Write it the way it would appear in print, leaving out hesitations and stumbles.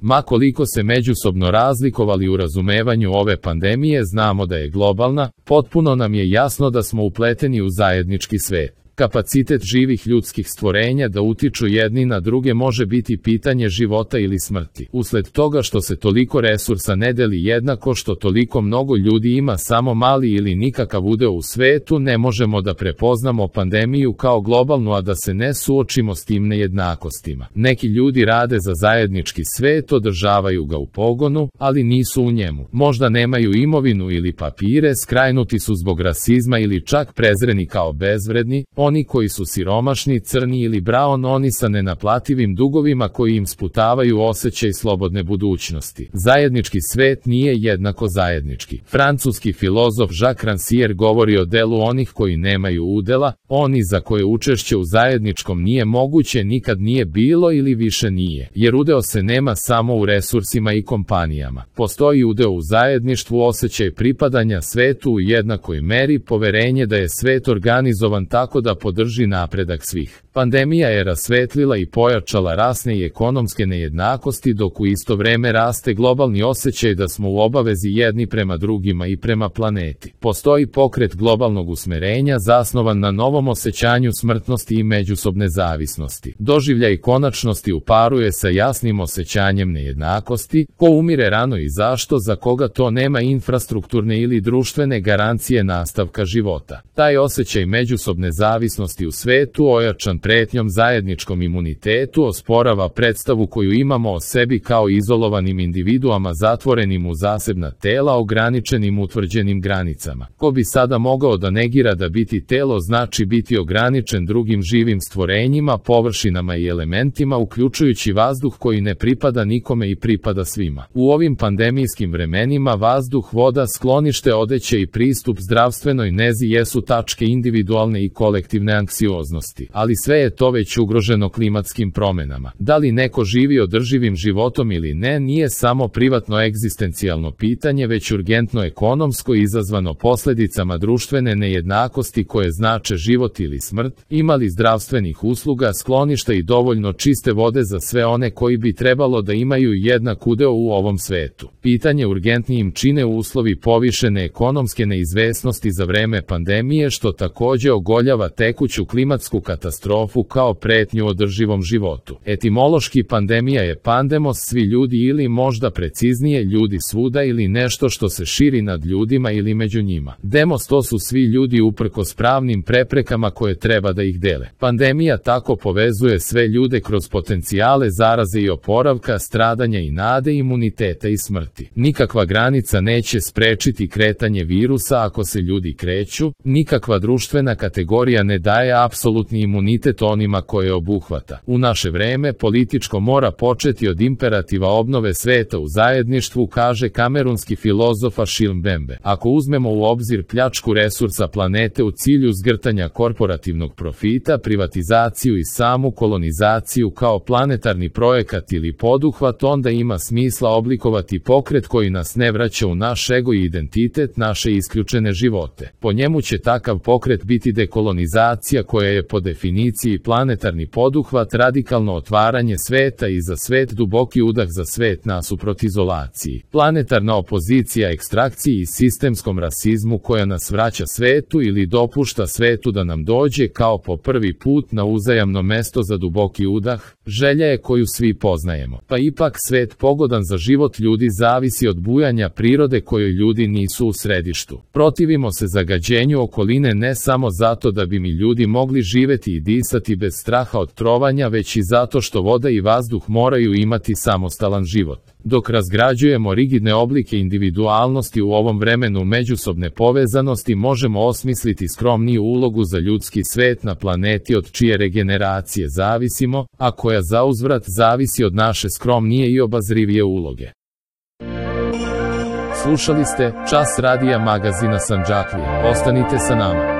Ma koliko se međusobno razlikovali u razumevanju ove pandemije, znamo da je globalna, potpuno nam je jasno da smo upleteni u zajednički svet. Kapacitet živih ljudskih stvorenja da utiču jedni na druge može biti pitanje života ili smrti. Usled toga što se toliko resursa ne deli jednako, što toliko mnogo ljudi ima samo mali ili nikakav udeo u svetu, ne možemo da prepoznamo pandemiju kao globalnu, a da se ne suočimo s tim nejednakostima. Neki ljudi rade za zajednički svet, održavaju ga u pogonu, ali nisu u njemu. Možda nemaju imovinu ili papire, skrajnuti su zbog rasizma ili čak prezreni kao bezvredni. Oni koji su siromašni, crni ili brown, oni sa nenaplativim dugovima koji im sputavaju osjećaj slobodne budućnosti. Zajednički svet nije jednako zajednički. Francuski filozof Jacques Rancière govori o delu onih koji nemaju udela, oni za koje učešće u zajedničkom nije moguće, nikad nije bilo ili više nije, jer udeo se nema samo u resursima i kompanijama. Postoji udeo u zajedništvu, osjećaj pripadanja svetu u jednakoj meri, poverenje da je svet organizovan tako da podrži napredak svih. Pandemija je rasvetlila i pojačala rasne i ekonomske nejednakosti, dok u isto vreme raste globalni osjećaj da smo u obavezi jedni prema drugima i prema planeti. Postoji pokret globalnog usmerenja zasnovan na novom osjećanju smrtnosti i međusobne zavisnosti. Doživljaj konačnosti uparuje sa jasnim osjećanjem nejednakosti, ko umire rano i zašto, za koga to nema infrastrukturne ili društvene garancije nastavka života. Taj osjećaj međusobne zavisnosti u svetu, ojačan pretnjom zajedničkom imunitetu, osporava predstavu koju imamo o sebi kao izolovanim individuama zatvorenim u zasebna tela, ograničenim utvrđenim granicama. Ko bi sada mogao da negira da biti telo znači biti ograničen drugim živim stvorenjima, površinama i elementima, uključujući vazduh koji ne pripada nikome i pripada svima. U ovim pandemijskim vremenima vazduh, voda, sklonište, odeće i pristup zdravstvenoj nezi jesu tačke individualne i kolektivne anksioznosti, ali sve je to već ugroženo klimatskim promenama. Da li neko živi održivim životom ili ne, nije samo privatno egzistencijalno pitanje, već urgentno ekonomsko, izazvano posledicama društvene nejednakosti koje znače život ili smrt. Ima li zdravstvenih usluga, skloništa i dovoljno čiste vode za sve one koji bi trebalo da imaju jednak udeo u ovom svetu? Pitanje urgentnijim čine uslovi povišene ekonomske neizvesnosti za vreme pandemije, što takođe ogoljava tekuću klimatsku katastrofu kao pretnju održivom životu. Etimološki pandemija je pandemos, svi ljudi, ili možda preciznije ljudi svuda, ili nešto što se širi nad ljudima ili među njima. Demos, to su svi ljudi uprkos pravnim preprekama koje treba da ih dele. Pandemija tako povezuje sve ljude kroz potencijale zaraze i oporavka, stradanja i nade, imuniteta i smrti. Nikakva granica neće sprečiti kretanje virusa ako se ljudi kreću, nikakva društvena kategorija ne daje apsolutni imunitet onima koje obuhvata. U naše vreme političko mora početi od imperativa obnove sveta u zajedništvu, kaže kamerunski filozof Achille Mbembe. Ako uzmemo u obzir pljačku resursa planete u cilju zgrtanja korporativnog profita, privatizaciju i samu kolonizaciju kao planetarni projekat ili poduhvat, onda ima smisla oblikovati pokret koji nas ne vraća u naš ego i identitet, naše isključene živote. Po njemu će takav pokret biti dekolonizacija, koja je po definiciji planetarni poduhvat, radikalno otvaranje sveta i za svet, duboki udah za svet nasuprot izolaciji. Planetarna opozicija ekstrakciji i sistemskom rasizmu koja nas vraća svetu ili dopušta svetu da nam dođe kao po prvi put na uzajamno mesto za duboki udah, želja je koju svi poznajemo. Pa ipak svet pogodan za život ljudi zavisi od bujanja prirode kojoj ljudi nisu u središtu. Protivimo se zagađenju okoline ne samo zato da bi mi ljudi mogli živeti i disati bez straha od trovanja, već i zato što voda i vazduh moraju imati samostalan život. Dok razgrađujemo rigidne oblike individualnosti u ovom vremenu međusobne povezanosti, možemo osmisliti skromniju ulogu za ljudski svet na planeti od čije regeneracije zavisimo, a koja zauzvrat zavisi od naše skromnije i obazrivije uloge. Slušali ste Čas radija magazina Sandžaklija. Ostanite sa nama.